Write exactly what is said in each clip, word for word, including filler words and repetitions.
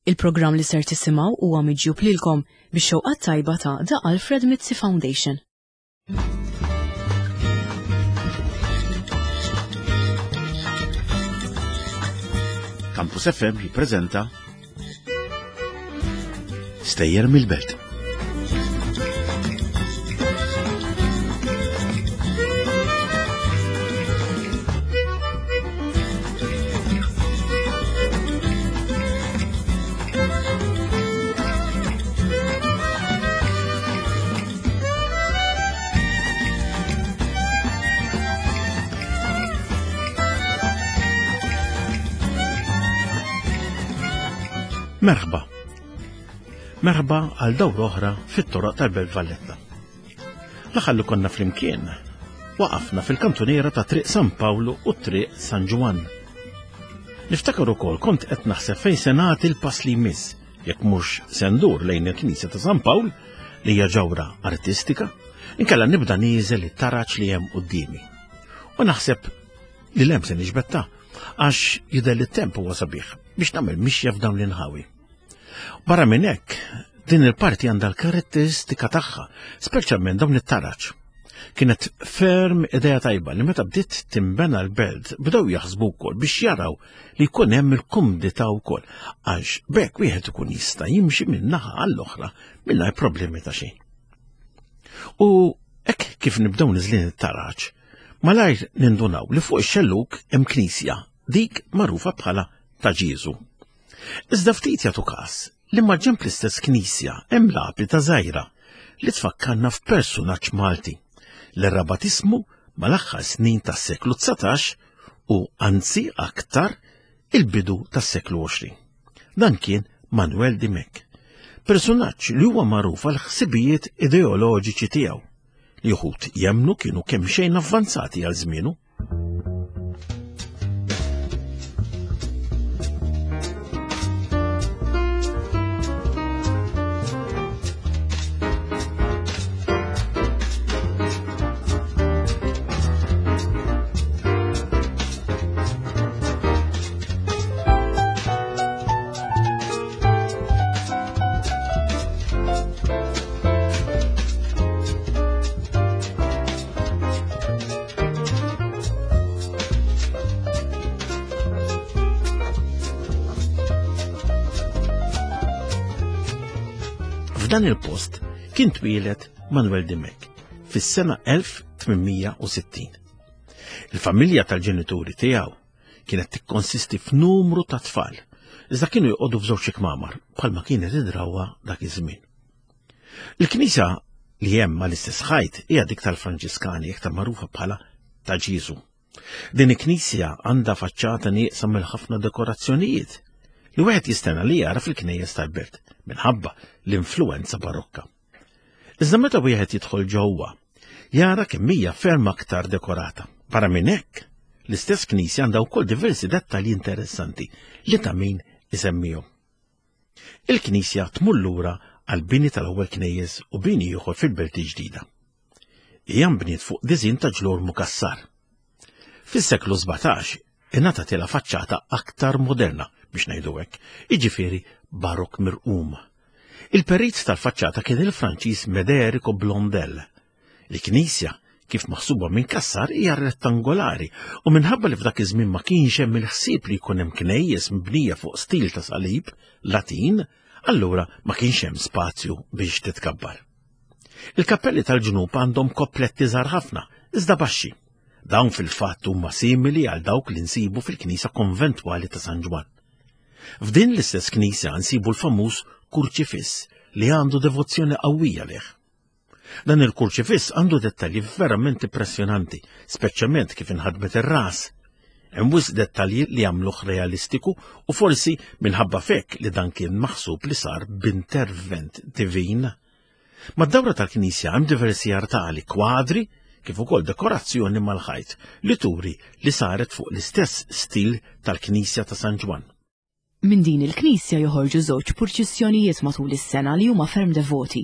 Il-programm li ser tisimgħu huwa miġjub lilkom bix-xewqat tajba ta' The Alfred Mizzi Foundation. Campus F M jippreżenta Stejjer mill-Belt. Merħba. Merħba għal dawra oħra fit-toroq tal-Belt Valletta. L-aħħar li konna flimkien, waqafna fil-kantuniera ta' Triq San Pawlu u Triq San Ġwann. Niftakar ukoll kont qed naħseb fejn se nagħti l-pass li jmiss, jekk mhux se ndur lejn il-Knisja ta' San Pawl li hija ġawra artistika, inkella nibda nieżel it-taraġ li hemm quddiemi. U naħseb li lem se niġbetta għax jidher li t-temp huwa sabiħ biex nagħmel mixja f'dawn l-inħawi. Barra minn hekk, din il-parti għandha l-karatteristika tagħha, speċjalment dawn it-taraġ. Kienet ferm idea tajba li meta bdiet timbena l-belt bdew jaħsbu wkoll biex jaraw li jkun hemm il-kumdità wkoll għax b'hekk wieħed ikun jista' jimxi minn naħa għall-oħra mingħajr problemi ta' xejn. U hekk kif nibdew niżlin it-taraġ, malajr nindunaw li fuq ix-xellug hemm knisja, dik magħrufa bħala ta' Ġieżu. Iżda ftit jagħtu każ li maġenb l-istess knisja hemm lapida żgħira li tfakkarna f'persunaġġ Malti li rabat ismu mal-aħħar snin tas-seklu dsatax u anzi aktar il-bidu tas-seklu għoxrin. Dan kien Manuel Dimech, personaġġ li huwa magħruf għal ħsibijiet ideoloġiċi tiegħu li wħud jemmnu kienu kemm xejn avvanzati għal żmienu. F'dan il-post kien twieled Manuel Dimech fis-sena elf tmien mija u sittin. Il-familja tal-ġenituri tiegħu kienet tikkonsisti f'numru ta' tfal, iżda kienu joqogħdu f'żewġ kmamar bħalma kienet id-drawwa dak iż-żmien. Il-knisja li hemm mal-istess ħajt hija dik tal-Franġiskani, iktar magħrufa bħala ta' Ġieżu. Din il-knisja għandha faċċata nieqsa mill-ħafna dekorazzjonijiet li wieħed jistenna li jara fil-knejjes tal-belt minħabba l-influenza barokka. Iżda meta wieħed jidħol ġewwa, jara kemm hija ferm aktar dekorata. Barra minn hekk, l-istess knisja għandha wkoll diversi dettalji interessanti li ta' min isemmihom. Il-knisja tmur lura għal bini tal-ewwel knejjes u bini ieħor fil-Belt Ġdida. Hija nbniet fuq diżin ta' ġlor mukassar. Fis-seklu sbatax ingħatatilha faċċata aktar moderna biex ngħidu hekk, jiġifieri barok mirqum. Il-perit tal-faċċata kien il-Franċiż Mederico Blondel. Il-knisja, kif maħsuba minn Cassar, hija rettangolari u minħabba li f'dak iż-żmien ma kienx hemm il-ħsieb li jkun hemm knejjes mibnija fuq stil ta' salib Latin, allura ma kienx hemm spazju biex titkabbar. Il-kappelli tal-ġnub għandhom koppletti żgħar ħafna, iżda baxxi. Dawn fil-fatt huma simili għal dawk li nsibu fil-knisja konventwali ta' San Ġwann. F'din l-istess knisja nsibu l-famuż kurċifiss li għandu devozzjoni qawwija lih. Dan il-kurċifiss għandu dettalji verament impressjonanti, speċjalment kif inħadmet ir-ras. Hemm wisq dettalji li jagħmluh realistiku u forsi minħabba fek li dan kien maħsub li sar b'intervent divin. Mad-dawra tal-knisja hemm diversi artali, kwadri, kif ukoll dekorazzjoni mal-ħajt li turi li saret fuq l-istess stil tal-knisja ta' San Ġwann. Minn din il-knisja joħorġu żewġ purċissjonijiet matul is-sena li huma ferm devoti.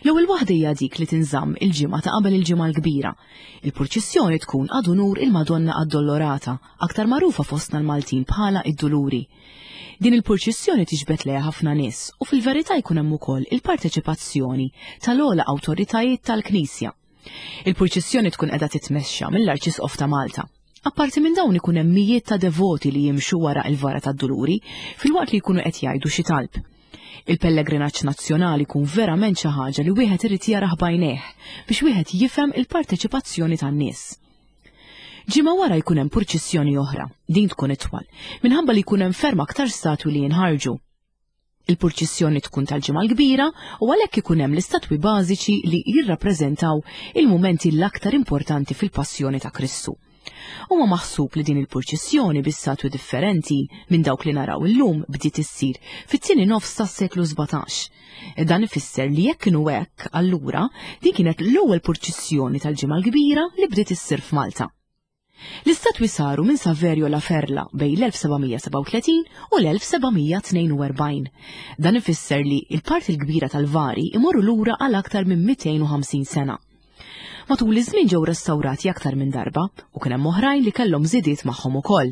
L-ewwel waħda hija dik li tinżamm il-ġimgħa ta' qabel il-Ġimgħa l-Kbira. Il-purċissjoni tkun ad unur il-Madonna Addolorata, aktar magħrufa fostna l-Maltin bħala id-Duluri. Din il-purċissjoni tiġbed lejha ħafna nies u fil-verità jkun hemm ukoll il-parteċipazzjoni tal-ogħla awtoritajiet tal-Knisja. Il-purċissjoni tkun qiegħda titmexxa mill-Arċisqof ta' Malta. Apparti minn dawn ikun hemm mijiet ta' devoti li jimxu wara il-vara tad-Duluri filwaqt li jkunu qed jgħidu xi talb. Il-pellegrinaġġ nazzjonali jkun verament xi ħaġa li wieħed irid jarah b'għajnejh biex wieħed jifhem il-parteċipazzjoni tan-nies. Ġimgħa wara jkun hemm purċissjoni oħra, din tkun itwal, minħabba li jkun hemm ferm aktar statwi li jinħarġu. Il-purċissjoni tkun tal-Ġimgħa l-Kbira u għalhekk ikun hemm l-istatwi bażiċi li jirrappreżentaw il-mumenti l-aktar importanti fil-passjoni ta' Kristu. Huwa maħsub li din il-purċissjoni bi statwi differenti minn dawk li naraw illum bdiet issir fit-tieni nofs tas-seklu sbatax. Dan ifisser li jekk kienu hekk, allura din kienet l-ewwel purċissjoni tal-Ġimgħa l-Kbira li bdiet issir f'Malta. L-istatwi saru minn Saverio La Ferla bejn l-elf sebgħamija sebgħa u tletin u l-elf sebgħamija tnejn u erbgħin. Dan ifisser li l-parti l-kbira tal-vari imorru lura għal aktar minn mitejn u ħamsin sena. Matul iż-żmien ġew restawrati aktar minn darba u kien hemm oħrajn li kellhom żidiet magħhom ukoll.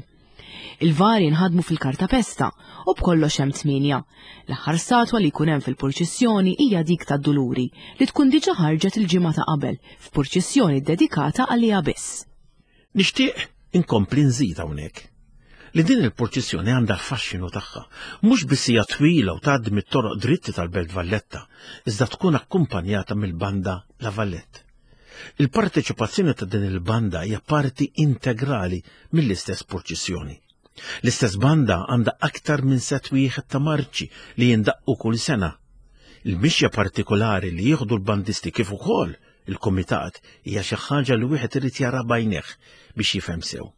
Il-vari nħadmu fil-kartapesta u b'kollox hemm tmienja. L-aħħar statwa li jkun hemm fil-purċissjoni hija dik tad-Duluri li tkun diġà ħarġet il-ġimgħa ta' qabel f'purċissjoni ddedikata għaliha biss. Nixtieq inkompli nżid hawnhekk li din il-purċissjoni għandha l-faxxinu tagħha, mhux biss hija twila u tgħaddi mit-toroq dritti tal-Belt Valletta, iżda tkun akkumpanjata mill-banda La Vallette. Il-parteċipazzjoni ta' din il-banda hija parti integrali mill-istess purċissjoni. L-istess banda għandha aktar minn set wieħed ta' marċi li jindaqqu kull sena. Il-mixja partikolari li jieħdu l-bandisti kif ukoll il-komitat hija xi ħaġa li wieħed irid jara b'għajnejh biex jifhem sew.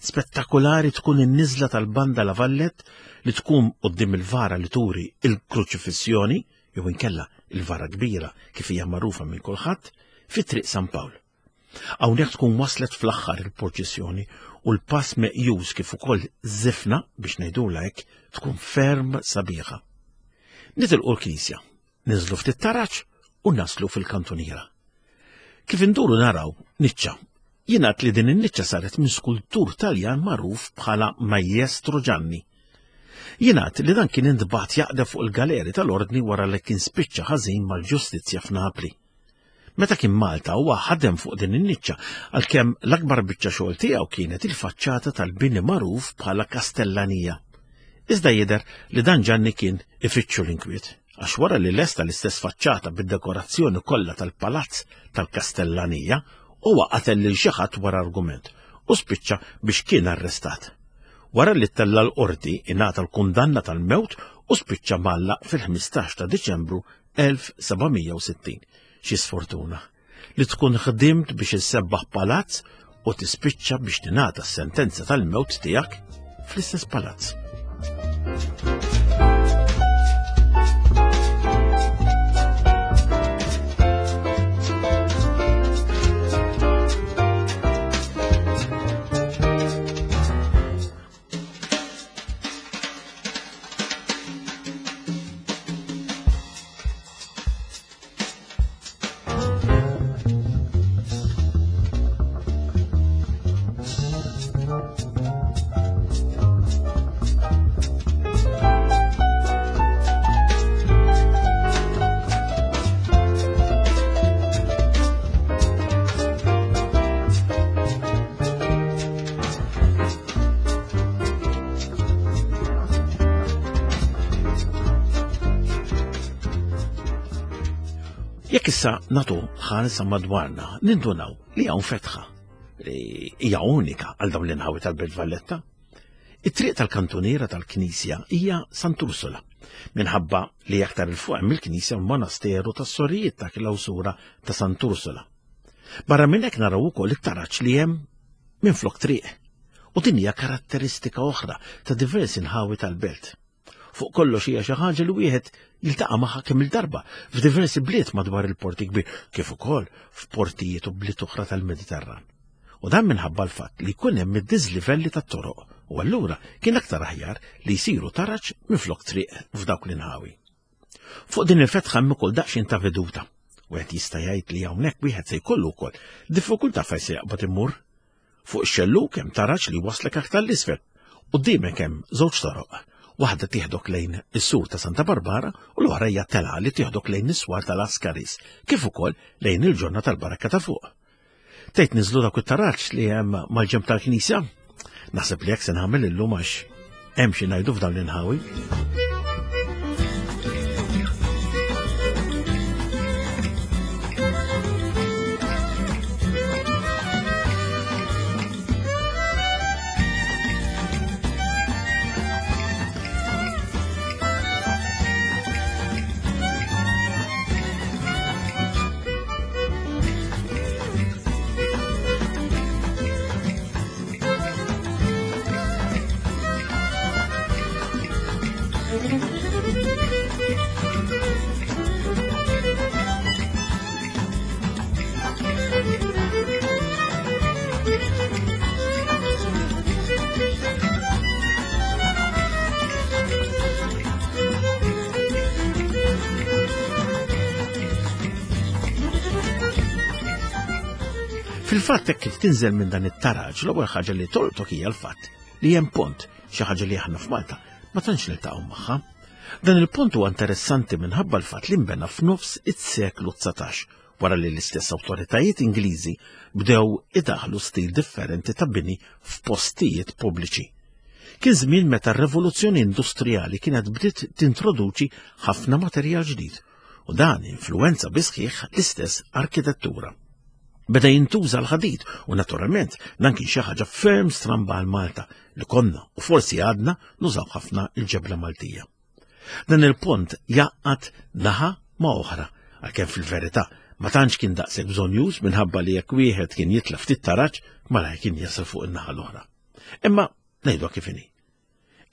Spettakolari tkun in-niżla tal-banda La Vallette li tkun quddiem il-vara li turi il-kruċifissjoni jew inkella il-vara kbira kif hija magħrufa minn kulħadd fi Triq San Pawl. Hawnhekk tkun waslet fl-aħħar il-purċissjoni u l-pass meqjus kif ukoll żifna biex ngħidulha hekk tkun ferm sabiħa. Nitilqu l-knisja, niżlu ftit taraġ u naslu fil-kantuniera. Kif induru naraw niċċa. Jingħad li din in-niċċa saret minn skultur Taljan magħruf bħala Maestro Gianni. Jingħad li dan kien intbagħat jaqdef fuq il-galeri tal-ordni wara li kien spiċċa ħażin mal-ġustizzja f'Napli. Meta kien Malta huwa ħadem fuq din in-niċċa għalkemm l-akbar biċċa xogħol tiegħu kienet il-faċċata tal-bini magħruf bħala Kastellanija. Iżda jidher li dan Gianni kien ifittxu l-inkwiet, għax wara li lesta l-istess faċċata bid-dekorazzjoni kollha tal-palazz tal-Kastellanija, huwa qatel lil xi ħadd wara argument u spiċċa biex kien arrestat. Wara li ttella' l-qorti ingħata l-kundanna tal-mewt u spiċċa mgħallaq fil-ħmistax ta' Diċembru elf sebgħamija u sittin. Xi sfortuna li tkun ħdimt biex issebbaħ palazz u tispiċċa biex tingħata s-sentenza tal-mewt tiegħek fl-istess palazz. Jekk issa nagħtu ħarsa madwarna, nindunaw li hawn fetħa li hija unika għal dawn l-inħawi tal-Belt Valletta. It-triq tal-kantuniera tal-Knisja hija Sant'Ursula, minħabba li aktar il fuq hemm il-Knisja u l-monasteru tas-sorijiet ta' klawsura ta' Sant'Ursula. Barra minn hekk naraw ukoll it-taraġ li hemm minflok triq, u din hija karatteristika oħra ta' diversi nħawi tal-belt. Fuq kollox hija xi ħaġa li wieħed jiltaqa' magħha kemm il-darba f'diversi bliet madwar il-Port Kbir, kif ukoll f'portijiet u bliet oħra tal-Mediterran. U dan minħabba l-fatt li jkun hemm id-diżlivelli tat-toroq U allura kien aktar aħjar li jsiru taraġ minflok triq f'dawk l-inħawi. Fuq din il-fetħa hemm ukoll daqsxejn ta' veduta. Wieħed jista' jgħid li hawnhekk wieħed se jkollu wkoll diffikultà fejn se jaqbad immur. Fuq ix-xellug hemm taraġ li waslek aktar l-isfel. Quddiemek hemm żewġ toroq. Waħda tieħdok lejn is-sur ta' Santa Barbara u l-oħra hija telgħa li tieħdok lejn is-swar tal-Askaris, kif ukoll lejn il-ġonna tal-Barrakka ta' fuq. Tgħid niżlu dak it-taraġ li hemm mal-ġenb tal-knisja? Naħseb li hekk se nagħmel illum għax hemm xi ngħidu f'dawn l-inħawi. Fil-fatt hekk kif tinżel minn dan it-taraġ, l-ewwel ħaġa li tolqtok hija l-fatt li hemm pont, xi ħaġa li aħna f'Malta ma tantx niltaqgħu magħha. Dan il-pont huwa interessanti minħabba l-fatt li nbena f'nofs is-seklu dsatax, wara li l-istess awtoritajiet Ingliżi bdew idaħlu stil differenti ta' bini f'postijiet pubbliċi. Kien żmien meta r-rivoluzzjoni industrijali kienet bdiet tintroduċi ħafna materjal ġdid u dan influwenza bi sħiħ l-istess arkitettura. Beda jintuża l-ħadid u naturalment dan kien xi ħaġa ferm stramba għal Malta li konna u forsi għadna nużaw ħafna il-ġebla Maltija. Dan il-pont jaqgħad naħa ma' oħra, għalkemm fil-verità ma tantx kien daqshekk bżonjuż minħabba li jekk wieħed kien jitla' ftit taraġ malajr kien jasal fuq in-naħa l-oħra. Imma ngħidu kif inhi.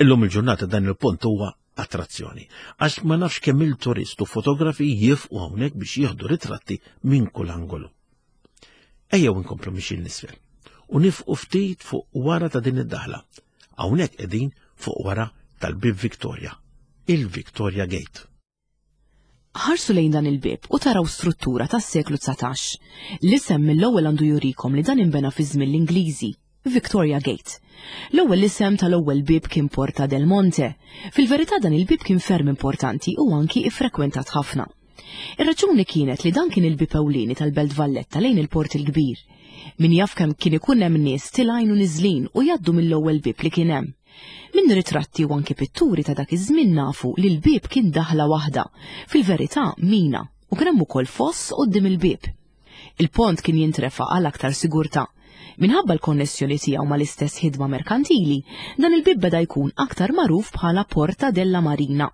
Illum il-ġurnata dan il-pont huwa attrazzjoni, għax ma nafx kemm il-turist u fotografi jifqu hawnhekk biex jieħdu ritratti minn kull angolu. Ejjew inkomplu mixjin l-isfel u nifqu ftit fuq wara ta' din id-daħla. Hawnhekk qegħdin fuq wara tal-Bib Victoria, il-Victoria Gate. Ħarsu lejn dan il-bib u taraw struttura tas-seklu dsatax. L-isem mill-ewwel għandu jurikom li dan inbena fi żmien l-Ingliżi, Victoria Gate. L-ewwel isem tal-ewwel bib kien Porta del Monte. Fil-verità dan il-bib kien ferm importanti u anki iffrekwentat ħafna. Ir-raġuni kienet li dan kien il-bib ewlieni tal-Belt Valletta lejn il-Port il-Kbir. Min jaf kemm kien ikun hemm nies tilgħin u niżlin u jgħaddu mill-ewwel bib li kien hemm. Minn ritratti u anki pitturi ta' dak iż-żmien nafu li l-bib kien daħla waħda, fil-verità mina, u kien hemm ukoll foss quddiem il-bib. Il-pont kien jintrefa' għal aktar sigurtà. Minħabba l-konnessjoni tiegħu mal-istess ħidma merkantili, dan il-bib beda jkun aktar magħruf bħala Porta della Marina.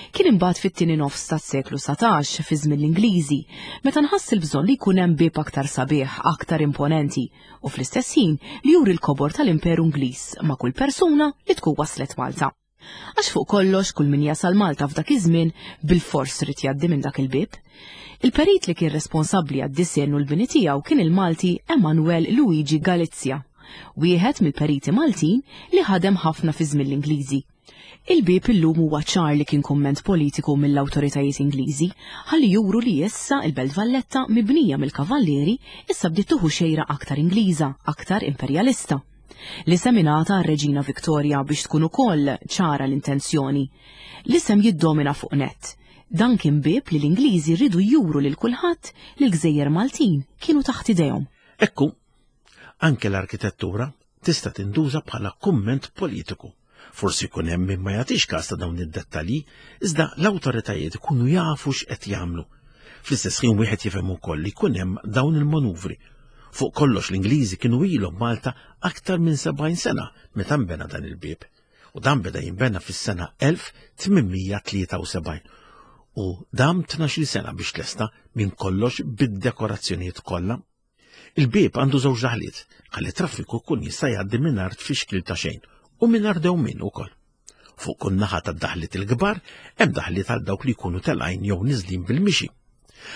Kien imbagħad fit-tieni nofs tas-seklu satax fi żmien l-Ingliżi, meta nħass il-bżonn li jkun hemm bib aktar sabiħ, aktar imponenti, u fl-istess ħin li juri l-kobor tal-Imperu Ingliż ma' kull persuna li tkun waslet Malta. Għax fuq kollox kull min jasal Malta f'dak iż-żmien bil-fors rid jgħaddi minn dak il-bib. Il-perit li kien responsabbli għad-disinn u l-bini tiegħu kien il-Malti Emanuel Luigi Galizia, wieħed mill-periti Maltin li ħadem ħafna fi żmien l-Ingliżi. Il-bib illum huwa ċar li kien kumment politiku mill-awtoritajiet Ingliżi ħalli juru li issa il-Belt Valletta mibnija mill-Kavallieri issa bdiet tuħu xejra aktar Ingliża, aktar imperjalista. L-isem ingħata għar-Reġina Victoria biex tkun ukoll ċara l-intenzjoni. L-isem jiddomina fuq nett. Dan kien bib li l-Ingliżi rridu juru lil kulħadd li l-Gżejjer Maltin kienu taħt idejhom. Ekku, anke l-arkitettura tista' tinduża bħala kumment politiku. Forsi jkun hemm min ma jagħtix każ ta' dawn id-dettalji, iżda l-awtoritajiet ikunu jafu x'qed jagħmlu. Fl-istess ħin wieħed jifhem ukoll li jkun hemm dawn il-manuvri. Fuq kollox l-Ingliżi kienu ilhom Malta aktar minn sebgħin sena meta nbena dan il-bib. U dan beda jinbena fis-sena elf tmien mija tlieta u sebgħin u dam tnax-il sena biex tlesta minn kollox bid-dekorazzjonijiet kollha. Il-bib għandu żewġ daħliet, ħalli traffiku kun jista' jgħaddi mingħajr tfixkil ta' xejn u mingħajr dewmien ukoll. Fuq kull naħa tad-daħliet il-kbar hemm daħliet għal dawk li jkunu telgħin jew niżlin bil-mixi.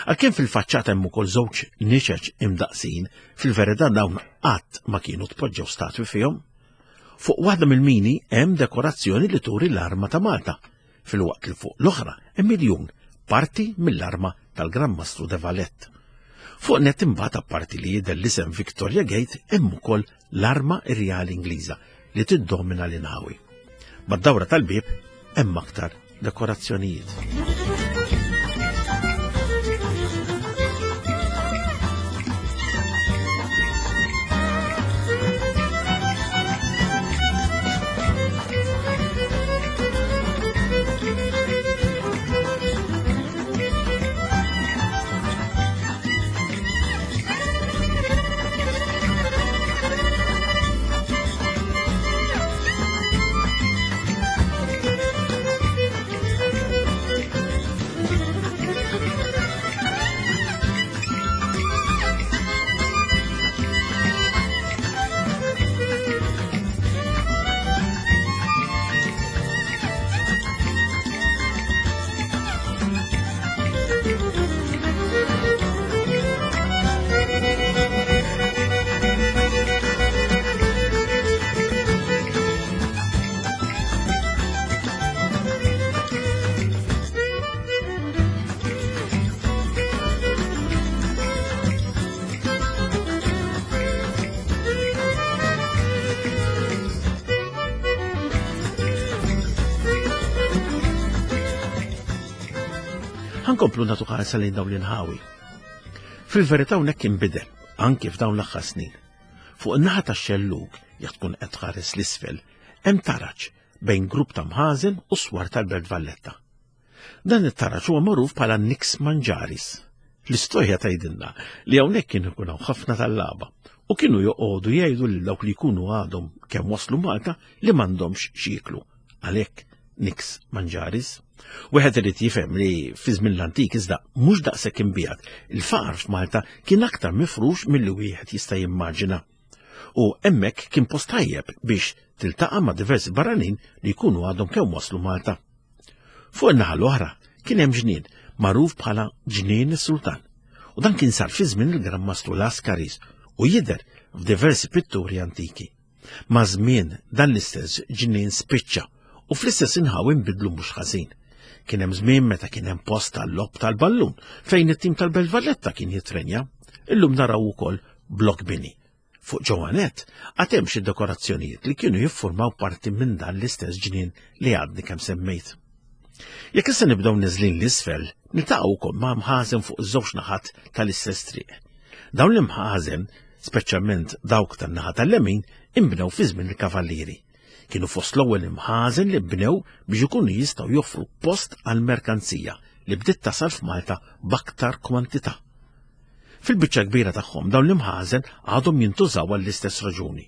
Għalkemm fil-faċċata hemm ukoll żewġ niċeċ imdaqsin, fil-verità dawn qatt ma kienu tpoġġew statwi fihom. Fuq waħda mill-mini hemm dekorazzjoni li turi l-arma ta' Malta, filwaqt li fuq l-oħra hemm miljun parti mill-arma tal-Gran Mastru de Valette. Fuq net imbagħad apparti li jidher l-isem Victoria Gate hemm ukoll l-arma irjali Ingliża li tiddomina l-inħawi. Mad-dawra tal-bieb hemm aktar dekorazzjonijiet. Ħankomplu nagħtu ħarsa lejn dawn l-inħawi. Fil-verità hawnhekk inbidel, anki f'dawn l-aħħar snin. Fuq in-naħa tax-xellug, jekk tkun qed tħares l-isfel, hemm taraġ bejn grupp ta' mħażen u swar tal-Belt Valletta. Dan it-taraġ huwa magħruf bħala Nix Manġaris. L-istorja tgħidilna li hawnhekk kien ikun hawn ħafna tal-lagħba u kienu joqogħdu jgħidu lil dawk li jkunu għadhom kemm waslu Malta li m'għandhomx x'jieklu. Għalhekk Nix Manġaris. Wieħed irid jifhem li fi żmien l-antik iżda mhux daqshekk imbiegħed, il-faqar f'Malta kien aktar mifrux milli wieħed jista' jimmaġina. U hemmhekk kien post tajjeb biex tiltaqa' ma' diversi barranin li jkunu għadhom kemm waslu Malta. Fuq in-naħa l-oħra kien hemm ġnien magħruf bħala Ġnien is-Sultan. U dan kien sar fi żmien il-Gran Mastru Lascaris u jidher f'diversi pitturi antiki. Ma' żmien dan l-istess ġnien spiċċa u fl-istess inħawi nbidlu mhux ħażin. Kien hemm żmien meta kien hemm post tal-logħob tal-ballun fejn it-tim tal-Belt Valletta kien jitrenja. Illum naraw ukoll blok bini. Fuq ġewwa nett għad hemm xi dekorazzjonijiet li kienu jiffurmaw parti minn dan l-istess ġnien li għadni kemm semmejt. Jekk issa nibdew niżlin l-isfel, niltaqgħu wkoll ma' mħażen fuq iż-żewġ naħat tal-istess triq. Dawn l-imħażen, speċjalment dawk tan-naħa tal-lemin, inbnew fi żmien il-Kavallieri. Kienu fost l-ewwel imħażen li bnew biex ikunu jistgħu joffru post għall-merkanzija li bdiet tasal f'Malta b'aktar kwantità. Fil-biċċa kbira tagħhom dawn l-imħażen għadhom jintużaw għall-istess raġuni.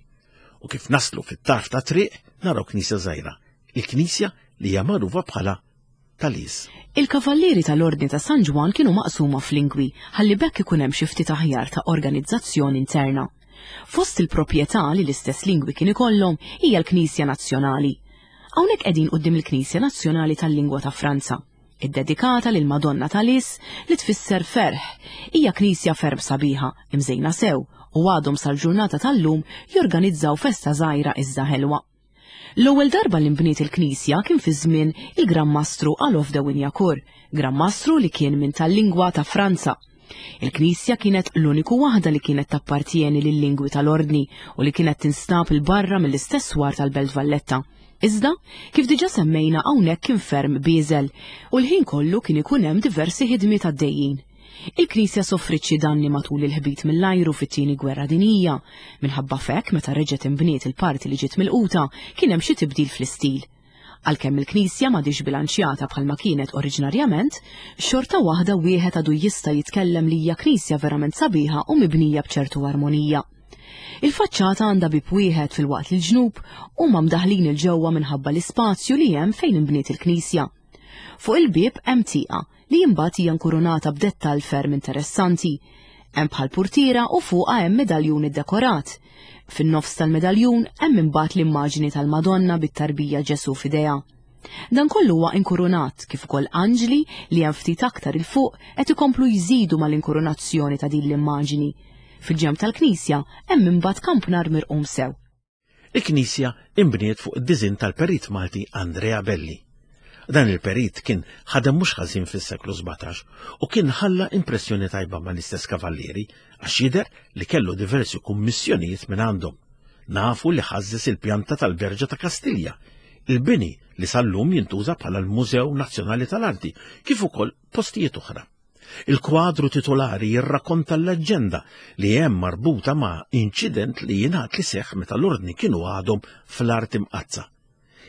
U kif naslu fit-tarf ta' triq naraw knisja żgħira, il-knisja li hija magħrufa bħala Talis. Il-kavallieri tal-Ordni ta' San Ġwann kienu maqsuma f'lingwi ħalli bekk ikun hemm xi ftit aħjar ta' organizzazzjoni interna. Fost il-proprjetà li l-istess lingwi kien ikollhom hija l-Knisja Nazzjonali. Hawnhekk qegħdin quddiem il-Knisja Nazzjonali tal-Lingwa ta' Franza, iddedikata lil Madonna Talis li tfisser ferħ. Hija knisja ferm sabiħa, imżejna sew, u għadhom sal-ġurnata tal-lum jorganizzaw festa żgħira iżda ħelwa. L-ewwel darba li nbniet il-knisja kien fi żmien il-Gran Mastru Alof de Wignacourt, Gran Mastru li kien minn tal-lingwa ta' Franza. Il-knisja kienet l-uniku waħda li kienet tappartieni lil-lingwi tal-ordni u li kienet tinstab il-barra mill-istess swar tal-Belt Valletta. Iżda, kif diġà semmejna hawnhekk kien ferm bieżel u l-ħin kollu kien ikun hemm diversi ħidmiet għaddejjin. Il-knisja soffrit xi danni matul il-ħbit mill-ajru fit-tieni gwerra dinjija. Minħabba f'hekk meta reġgħet inbniet il-parti li ġiet milquta kien hemm xi tibdil fl-istil. Għalkemm il-knisja m'għadix bilanċjata bħalma kienet oriġinarjament, xorta waħda wieħed għadu jista' jitkellem li hija knisja verament sabiħa u mibnija b'ċertu armonija. Il-faċċata għandha bieb wieħed filwaqt li l-ġnub huma mdaħlin il-ġewwa minħabba l-ispazju li hemm fejn inbniet il-knisja. Fuq il-bieb hemm tieqa li imbagħad hija nkurunata b'dettall ferm interessanti. Hemm bħal purtiera u fuqha hemm medaljun iddekorat. Fin-nofs tal-medaljun hemm imbagħad l-immaġni tal-Madonna bit-tarbija Ġesu f'idejha. Dan kollu huwa inkurunat kif ukoll anġli li hemm ftit aktar il fuq qed ikomplu jżidu mal-inkurunazzjoni ta' din l-immaġni. Fil-ġenb tal-knisja hemm imbagħad kampnar mirqum sew. Il-knisja imbniet fuq id-diżinn tal-perit Malti Andrea Belli. Dan il-perit kien ħadem mhux ħażin fis-seklu sbatax u kien ħalla impressjoni tajba mal-istess kavallieri għax jidher li kellu diversi kummissjonijiet minn għandhom. Nafu li ħażżes il-pjanta tal-Berġa ta' Kastilja, il-bini li sal-lum jintuża bħala l-Mużew Nazzjonali tal-Arti, kif ukoll postijiet oħra. Il-kwadru titolari jirrakkonta l-leġġenda li hemm marbuta ma' inċident li jingħad li seħħ meta l-ordni kienu għadhom fl-art imqazza.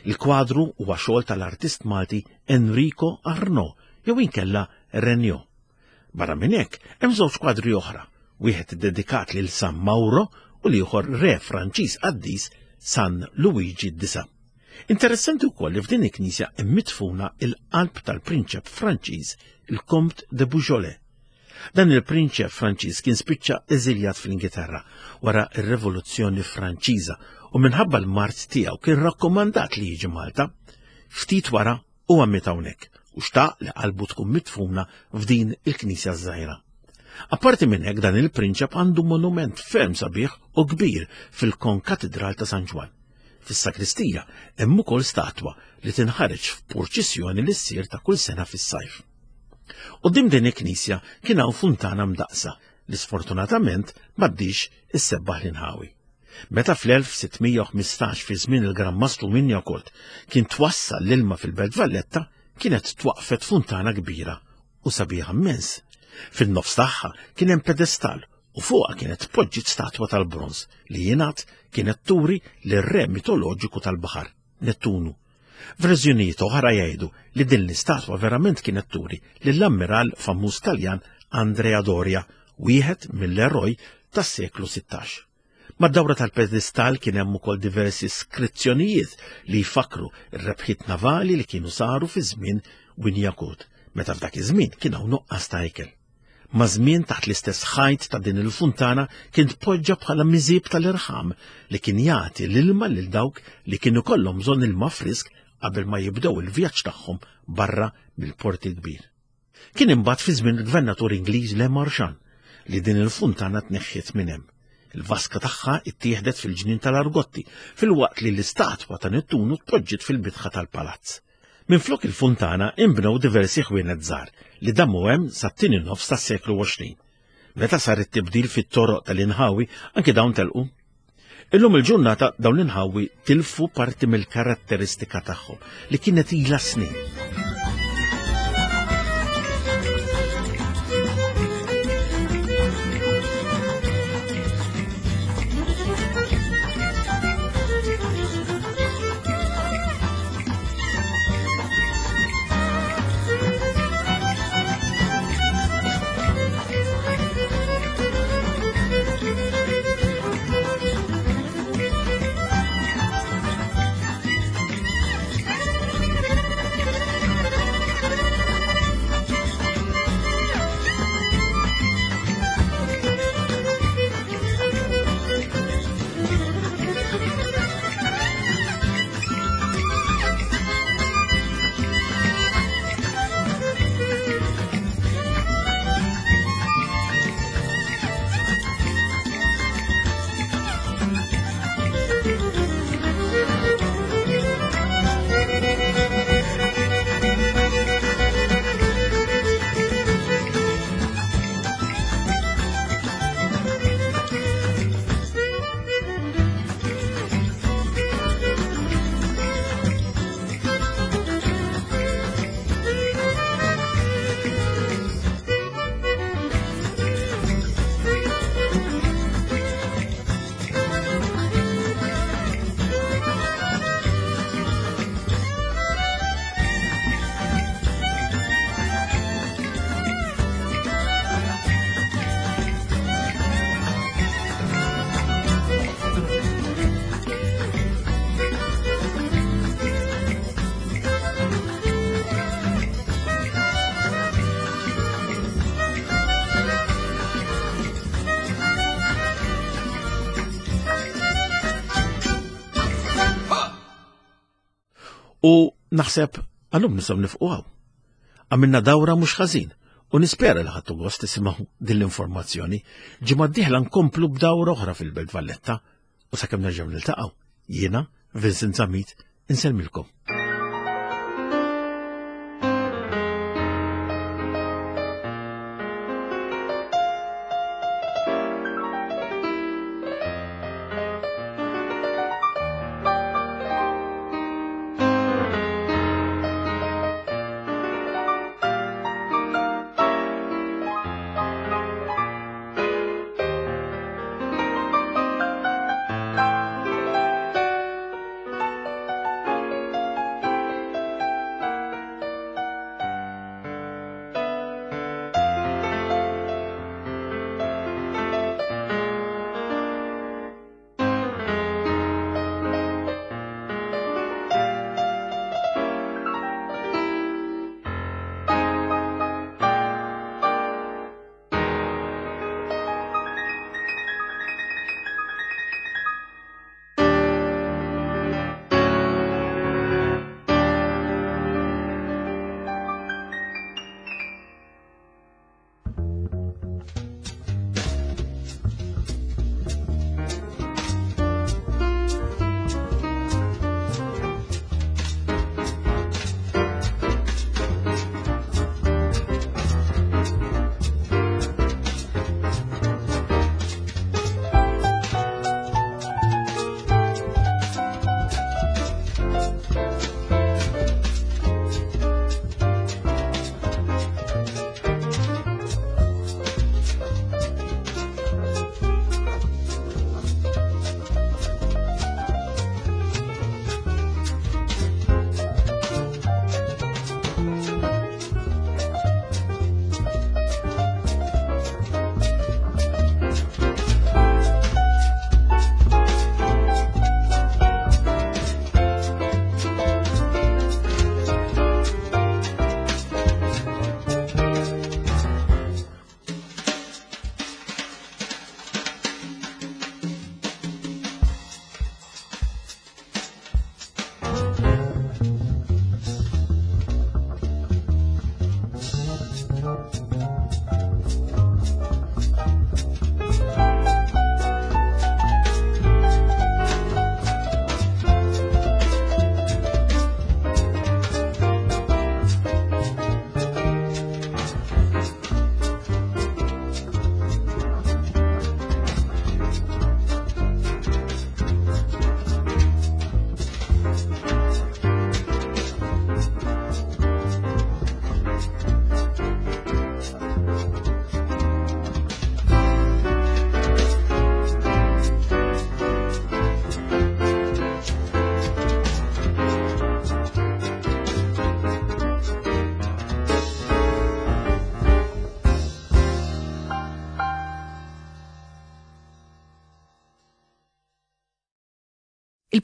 Il-kwadru huwa xogħol tal-artist Malti Enrico Arnaud jew inkella Regnault. Barra minn hekk hemm żewġ kwadri oħra, wieħed dedikat lil San Mauro u l-ieħor re Franċiż qaddis San Luigi d-Disa. Interessanti wkoll li f'din il-knisja hemm midfuna il-qalb tal-prinċep Franċiż il-Comte de Beaujolais. Dan il-prinċep Franċiż kien spiċċa eżiljat fl-Ingilterra wara r-Rivoluzzjoni Franċiża u minħabba l-mard tiegħu kien rakkomandat li jiġi Malta. Ftit wara huwa miet hawnhekk u xtaq li qalbu tkun midfuna f'din il-knisja żgħira. Apparti minn hekk dan il-prinċep għandu monument ferm sabiħ u kbir fil-Konkatedral ta' San Ġwann. Fis-sakristija hemm ukoll statwa li tinħareġ f'purċissjoni li ssir ta' kull sena fis-sajf. Quddiem din il-knisja kien hawn funtana mdaqsa li sfortunatament m'għaddix issebbaħ l-inħawi. Meta fl-elf sittmija u ħmistax fi żmien il-Gran Mastru Wignacourt kien twassal l-ilma fil-Belt Valletta, kienet twaqfet funtana kbira u sabiħa immens. Fin-nofs tagħha kien hemm pedestal u fuqha kienet tpoġġiet statwa tal-bronż li jingħad kienet turi lir-re mitoloġiku tal-baħar, Nettunu. Verżjonijiet oħra jgħidu li din l-istatwa verament kienet turi lill-ammiral famuż Taljan Andrea Doria, wieħed mill-eroj tas-seklu sittax. Mad-dawra tal-pedestal kien hemm ukoll diversi skrizzjonijiet li jfakru r-rebħiet navali li kienu saru fi żmien Wignacourt, meta f'dak iż-żmien kien hawn nuqqas ta' ikel. Ma' żmien taħt l-istess ħajt ta' din il-funtana kien tpoġġa bħala miżib tal-irħam li kien jagħti l-ilma lil dawk li kienu kollhom bżonn ilma frisk qabel ma jibdew il-vjaġġ tagħhom barra mill-Port il-Kbir. Kien imbagħad fi żmien il-gvernatur Ingliż Le Marchand li din il-funtana tneħħiet minn hemm. Il-vaska tagħha ittieħdet fil-ġnien tal-Argotti filwaqt li l-istatwa ta' Nettunu tpoġġiet fil-bitħa tal-palazz. Minflok il-funtana inbnew diversi ħwienet żgħar li damu hemm sat-tieni nofs tas-seklu għoxrin. Meta sar it-tibdil fit-toroq tal-inħawi anke dawn telqu. Illum il-ġurnata dawn l-inħawi tilfu parti mill-karatteristika tagħhom li kienet ilha snin. U naħseb għallum nistgħu nifqu hawn. Għamilna dawra mhux ħażin u nispera li ħadtu gost tisimgħu din l-informazzjoni. Ġimgħa d-dieħla nkomplu b'dawra oħra fil-Belt Valletta u sakemm nerġgħu niltaqgħu. Jiena, Vincent Zammit, insellmilkom.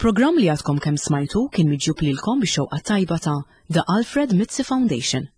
Il-programm li għadkom kemm smajtu kien miġjub lilkom bix-xewqa tajba ta' The Alfred Mizzi Foundation.